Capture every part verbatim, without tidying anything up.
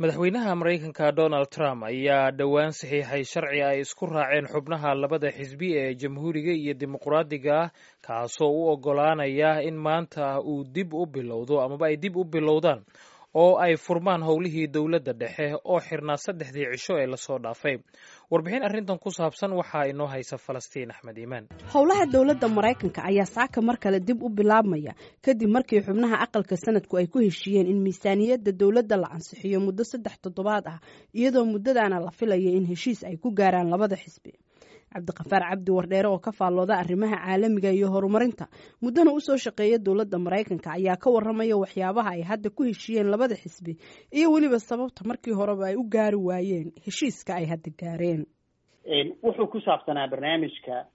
Madaxweynaha Maraykanka Donald Trump ayaa dhowaan saxiixay sharci ay isku raaceen xubnaha labada xisbi ee Jamhuuriga iyo Dimuqraadiga ah, kaasoo u oggolaanaya in maanta uu dib u bilowdo amaba ay dib u bilowdaan oo ay furmaan howlihii dowladda dhexe oo xirnaa saddexdii cisho ee lasoo dhaafay. Warbixin arrintan ku saabsan waxaa inoo haysa Falastiin Axmed Iimaan. Howlaha dowladda Maraykanka ayaa saaka mar kale dib u bilaabmaya, kadib markii xubnaha aqalka sanadku ay ku heshiiyeen in miisaaniyadda dowladda la ansixiyo muddo saddex toddobaad ah, iyadoo muddadaana la filaya in heshiis ay ku gaaraan labada xisbi. Cabdiqafaar Cabdi Wardheere oo ka faallooda arrimaha caalamiga iyo horumarinta, muddana usoo shaqeeya dowladda Maraykanka, ayaa ka waramaya waxyaabaha ay hadda ku heshiiyeen labada xisbi iyo weliba sababta markii horeba ay u gaari waayeen heshiiska ay hadda gaareen. Wuxuu ku saabsanaa barnaamijka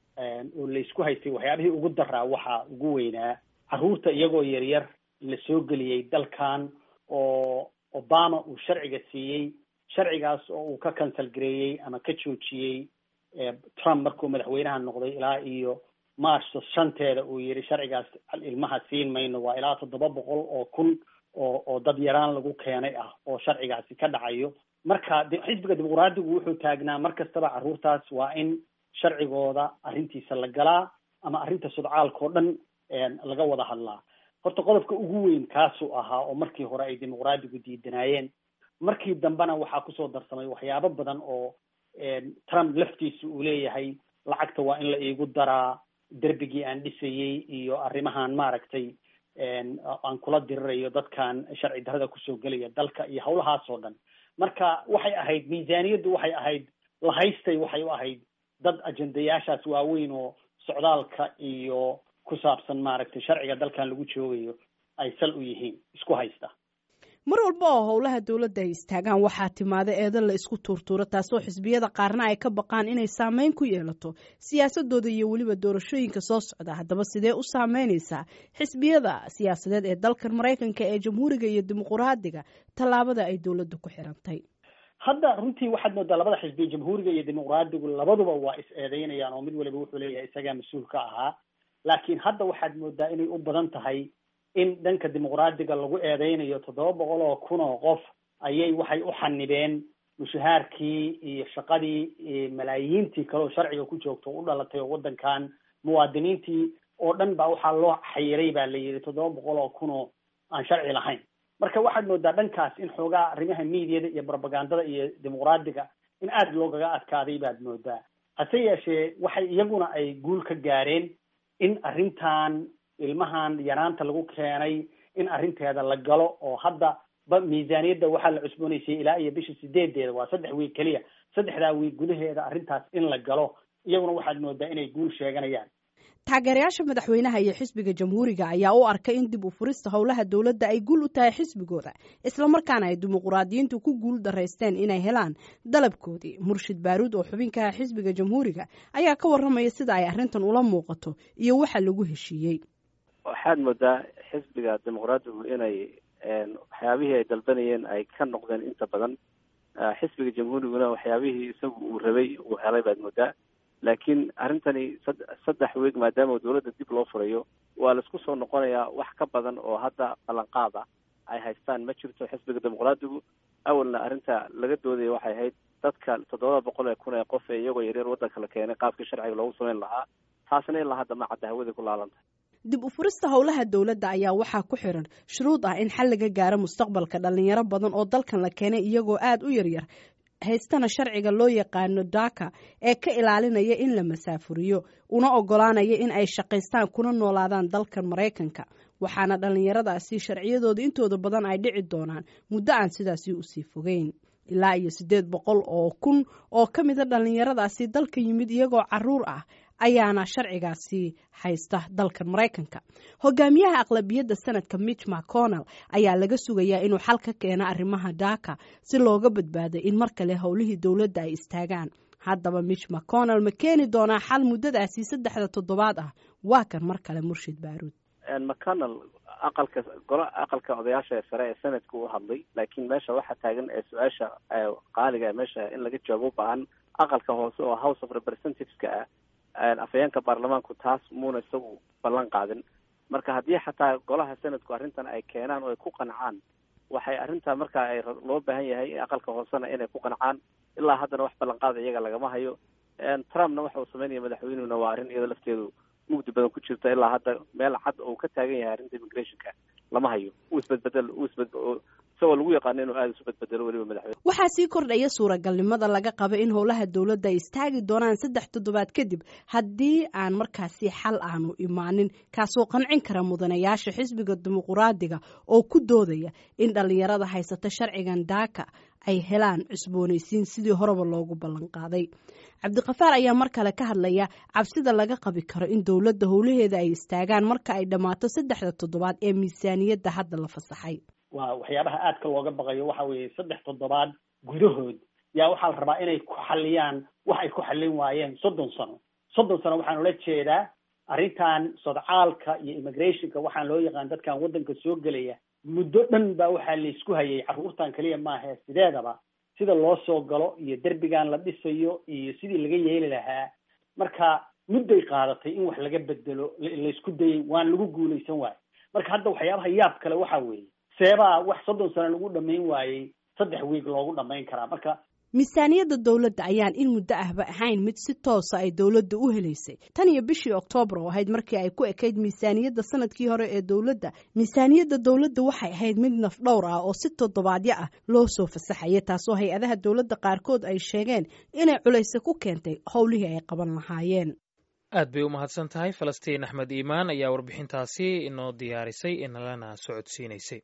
oo laysku haystay, waxyaabihii ugu daraa waxaa ugu weynaa carruurta iyagoo yaryar la soo geliyey dalkan oo Obama uu sharciga siiyey, sharcigaas oo uu ka cancel gareeyey ama ka joojiyey Trump markuu madaxweynaha noqday ilaa iyo March shanteeda, uu yihi sharcigaas ilmaha siin mayno. Waa ilaa toddoba boqol oo kun oo oo dad yaraan lagu keenay ah oo sharcigaasi ka dhacayo. Marka xisbiga Dimuqraadigu wuxuu taagnaa mar kastaba carruurtaas waa in sharcigooda arrintiisa la galaa ama arrinta sudcaalka oo dhan laga wada hadlaa. Horta qodobka ugu weyn kaasuu ahaa oo markii hore ay Dimuqraadigu diidanaayeen. Markii dambena waxaa kusoo darsamay waxyaabo badan oo Trump laftiisa uu leeyahay lacagta waa in la iigu daraa derbigii aan dhisayey iyo arrimahan maaragtay aan kula dirirayo dadkan sharci darrada kusoo gelaya dalka iyo hawlahaas oo dhan. Marka waxay ahayd miisaaniyaddu, waxay ahayd lahaystay, waxay u ahayd dad ajendayaashaas waaweyn oo socdaalka iyo ku saabsan maaragtay sharciga dalkan lagu joogayo ay sal u yihiin isku haysta. Mar walba oo howlaha dowladda ay istaagaan, waxaa timaada eedo la isku tuurtuuro, taasoo xisbiyada qaarna ay ka baqaan inay saameyn ku yeelato siyaasadooda iyo weliba doorashooyinka soo socda. Haddaba sidee u saameynaysaa xisbiyada siyaasadeed ee dalkan Maraykanka ee Jamhuuriga iyo Dimuqraadiga tallaabada ay dowladda ku xirantay? Hadda runtii waxaad moodaa labada xisbiya, Jamhuuriga iyo Dimuqraadigu, labaduba waa is eedeynayaan oo mid waliba wuxuu leeyahay isagaa mas-uul ka ahaa. Laakiin hadda waxaad moodaa inay u badan tahay in dhanka Dimuqraadiga lagu eedeynayo toddoba boqol oo kun oo qof ayay waxay u xanibeen mushahaarkii iyo shaqadii, malaayiintii kale oo sharciga ku joogto o u dhalatay oo waddankan muwaadiniintii oo dhan baa waxaa loo xayiray baa la yidhi toddoba boqol oo kun oo aan sharci lahayn. Marka waxaad moodaa dhankaas in xoogaa arrimaha miidiyada iyo propagandada iyo Dimuqraadiga in aada loogaga adkaaday baad moodaa. Hase yeeshee waxay iyaguna ay guul ka gaareen in arrintan ilmahan yaraanta lagu keenay in arrinteeda la galo, oo hadda ba miisaaniyadda waxaa la cusboonaysay ilaa iyo bisha sideedeeda, waa saddex wiig keliya, saddexdaa wiig gudaheeda arrintaas in la galo. Iyaguna waxaad moodaa inay guul sheeganayaan. Taageerayaasha madaxweynaha iyo xisbiga Jamhuuriga ayaa u arkay in dib u furista howlaha dowladda ay guul u tahay xisbigooda, islamarkaana ay dimuqraadiyiintu ku guul daraysteen inay helaan dalabkoodii. Murshid Baaruud oo xubinkaha xisbiga Jamhuuriga ayaa ka waramaya sida ay arrintan ula muuqato iyo waxa lagu heshiiyey. Waxaad moodaa xisbiga Dimuqraadigu inay waxyaabihii ay dalbanayeen ay ka noqdeen inta badan, xisbiga Jamhuuriguna waxyaabihii isagu uu rabay uu helay baad moodaa. Laakiin arrintani saddex weeg maadaama dowladda dib loo furayo, waa laisku soo noqonayaa. Wax ka badan oo hadda ballanqaad ah ay haystaan ma jirto xisbiga Dimuqraadigu. Awalna arrinta laga doodaya waxay ahayd dadka toddobada boqol ee kun ee qof ee iyagoo yaryar waddanka la keenay qaabkii sharciga loogu samayn lahaa. Taasna ilaa hadda ma cadda, hawada ku laalanta. Dib u furista howlaha dowladda ayaa waxaa ku xiran shuruud ah in xal laga gaaro mustaqbalka dhalinyaro badan oo dalkan la keenay iyagoo aada u yaryar, haystana sharciga loo yaqaano DACA ee ka ilaalinaya in la masaafuriyo una ogolaanaya in ay shaqaystaan kuna noolaadaan dalkan Maraykanka. Waxaana dhalinyaradaasi sharciyadooda intooda badan ay dhici doonaan muddo aan sidaasi usii fogeyn. Ilaa iyo siddeed boqol oo kun oo ka mida dhalinyaradaasi dalka yimid iyagoo caruur ah ayaana sharcigaasi haysta dalkan Maraykanka. Hogaamiyaha aqlabiyadda sanadka Mitch McConnell ayaa laga sugayaa inuu xal ka keeno arrimaha DACA si looga badbaado in mar kale howlihii dowladda ay istaagaan. Haddaba Mitch McConnell ma keeni doonaa xal muddadaasi saddexda toddobaad ah? Waa kan mar kale Murshid Baaruud. McConnell aqalka golo aqalka odayaasha ee sare ee sanadka u hadlay, laakiin meesha waxaa taagan ee su-aasha qaaliga ee meesha in laga jawaabo u baahan aqalka hoose oo House of Representatives-ka ah, afhayeenka baarlamaanku taas muuna isagu ballan qaadin. Marka haddii xataa golaha sanadku arrintan ay keenaan oo ay ku qancaan Waxay arrintaa markaa ay loo baahan yahay aqalka hoosena inay ku qancaan. Ilaa haddana wax ballanqaada iyaga lagama hayo. Trumpna waxa uu sameynaya madaxweynuhuna waa arrin iyada lafteedu mugdi badan ku jirta. Ilaa hadda meel cad oo ka taagan yahay arrinta immigrationka lama hayo. Uu isbedbedel uu isbed isagoo lagu yaqaano inuu aada isu bedbedelo weliba madaxweyne. Waxaa sii kordhaya suuragalnimada laga qabo in howlaha dowladda ay istaagi doonaan saddex toddobaad kadib haddii aan markaasi xal aanu imaanin, kaasoo qancin kara mudanayaasha xisbiga dimuquraadiga oo ku doodaya in dhallinyarada haysata sharcigan daaka ay helaan cusboonaysiin sidii horeba loogu ballan qaaday. Cabdiqafaar ayaa mar kale ka hadlaya cabsida laga qabi karo in dowladda howlaheeda ay istaagaan marka ay dhammaato saddexda toddobaad ee miisaaniyadda hadda la fasaxay. Waa waxyaabaha aadka looga baqayo waxa weeye saddex toddobaad gudahood yaa waxaa la rabaa inay ku xaliyaan wax ay ku xallin waayeen soddon sano. Soddon sano waxaan ula jeedaa arrintan sodcaalka iyo immigrationka, waxaan loo yaqaan dadkan waddanka soo gelaya. Muddo dhan baa waxaa laysku hayay, carruurtan keliya maaha, sideedaba sida loo soo galo iyo derbigan la dhisayo iyo sidii laga yeeli lahaa. Marka mudday qaadatay in wax laga bedelo, laysku dayay, waan lagu guulaysan waayo. Marka hadda waxyaabaha yaab kale waxaa weeye, seebaa wax soddon sano lagu dhamayn waayey saddex wiig loogu dhamayn karaa? Marka Miisaaniyadda dowladda ayaan in muddo ahba ahayn mid si toosa ay dowladda u helaysay tan iyo bishii Oktoobar oo ahayd markii ay ku ekayd miisaaniyadda sanadkii hore ee dowladda. Miisaaniyadda dowladda waxay ahayd mid nafdhowr ah oo si toddobaadyo ah loo soo fasaxaya, taasoo hay-adaha dowladda qaarkood ay sheegeen inay culayse ku keentay howlihii ay qaban lahaayeen. Aad bay u mahadsan tahay Falastiin Axmed Iimaan ayaa warbixintaasi inoo diyaarisay inalana socodsiinaysay.